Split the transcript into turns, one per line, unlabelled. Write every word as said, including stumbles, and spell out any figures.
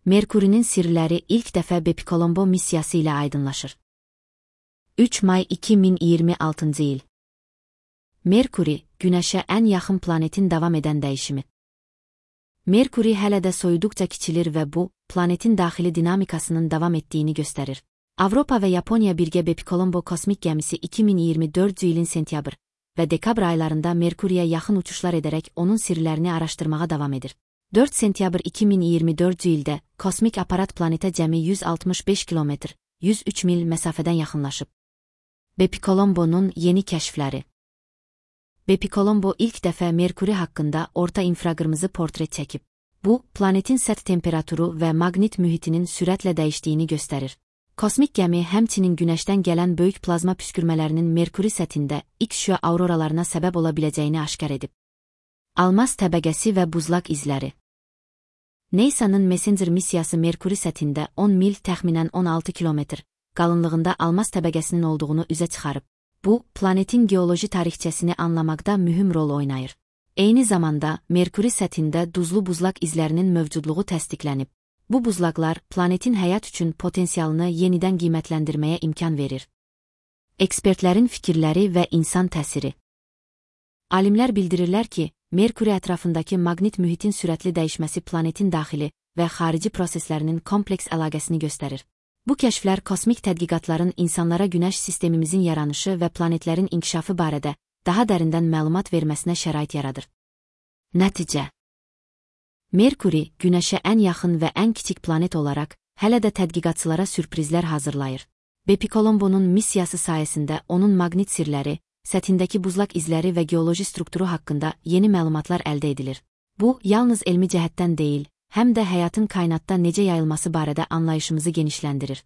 Merkurinin sirləri ilk dəfə Bepicolombo missiyası ilə aydınlaşır. üç may iki min iyirmi altıncı il. Merkuri, Günəşə ən yaxın planetin davam edən dəyişimi. Merkuri hələ də soyuduqca kiçilir və bu, planetin daxili dinamikasının davam etdiyini göstərir. Avropa və Yaponiya birgə Bepicolombo kosmik gəmisi iki min iyirmi dördüncü ilin sentyabr və dekabr aylarında Merkuriyə yaxın uçuşlar edərək onun sirlərini araşdırmağa davam edir. dörd sentyabr iki min iyirmi dördüncü ildə kosmik aparat planetə cəmi yüz altmış beş kilometr, yüz üç mil məsafədən yaxınlaşıb. Bepicolombo'nun yeni kəşfləri. Bepicolombo ilk dəfə Merkuri haqqında orta infraqırmızı portret çəkib. Bu, planetin səth temperaturu və maqnit mühitinin sürətlə dəyişdiyini göstərir. Kosmik gəmi həmçinin Günəşdən gələn böyük plazma püskürmələrinin Merkuri səthində X-şüa auroralarına səbəb ola biləcəyini aşkar edib. Almaz təbəqəsi və buzlaq izləri. NASA'nın Messenger missiyası Merkuri səthində on mil təxminən on altı kilometr qalınlığında almaz təbəqəsinin olduğunu üzə çıxarıb. Bu, planetin geoloji tarixçəsini anlamaqda mühüm rol oynayır. Eyni zamanda, Merkuri səthində duzlu buzlaq izlərinin mövcudluğu təsdiqlənib. Bu buzlaqlar planetin həyat üçün potensialını yenidən qiymətləndirməyə imkan verir. Ekspertlərin fikirləri və insan təsiri. Alimlər bildirirlər ki, Merkuri ətrafındakı maqnit mühitin sürətli dəyişməsi planetin daxili və xarici proseslərinin kompleks əlaqəsini göstərir. Bu kəşflər kosmik tədqiqatların insanlara Günəş sistemimizin yaranışı və planetlərin inkişafı barədə daha dərindən məlumat verməsinə şərait yaradır. Nəticə. Merkuri, Günəşə ən yaxın və ən kiçik planet olaraq, hələ də tədqiqatçılara sürprizlər hazırlayır. Bepicolombo'nun missiyası sayəsində onun maqnit sirləri, səthindəki buzlaq izləri və geoloji strukturu haqqında yeni məlumatlar əldə edilir. Bu, yalnız elmi cəhətdən deyil, həm də həyatın kainatda necə yayılması barədə anlayışımızı genişləndirir.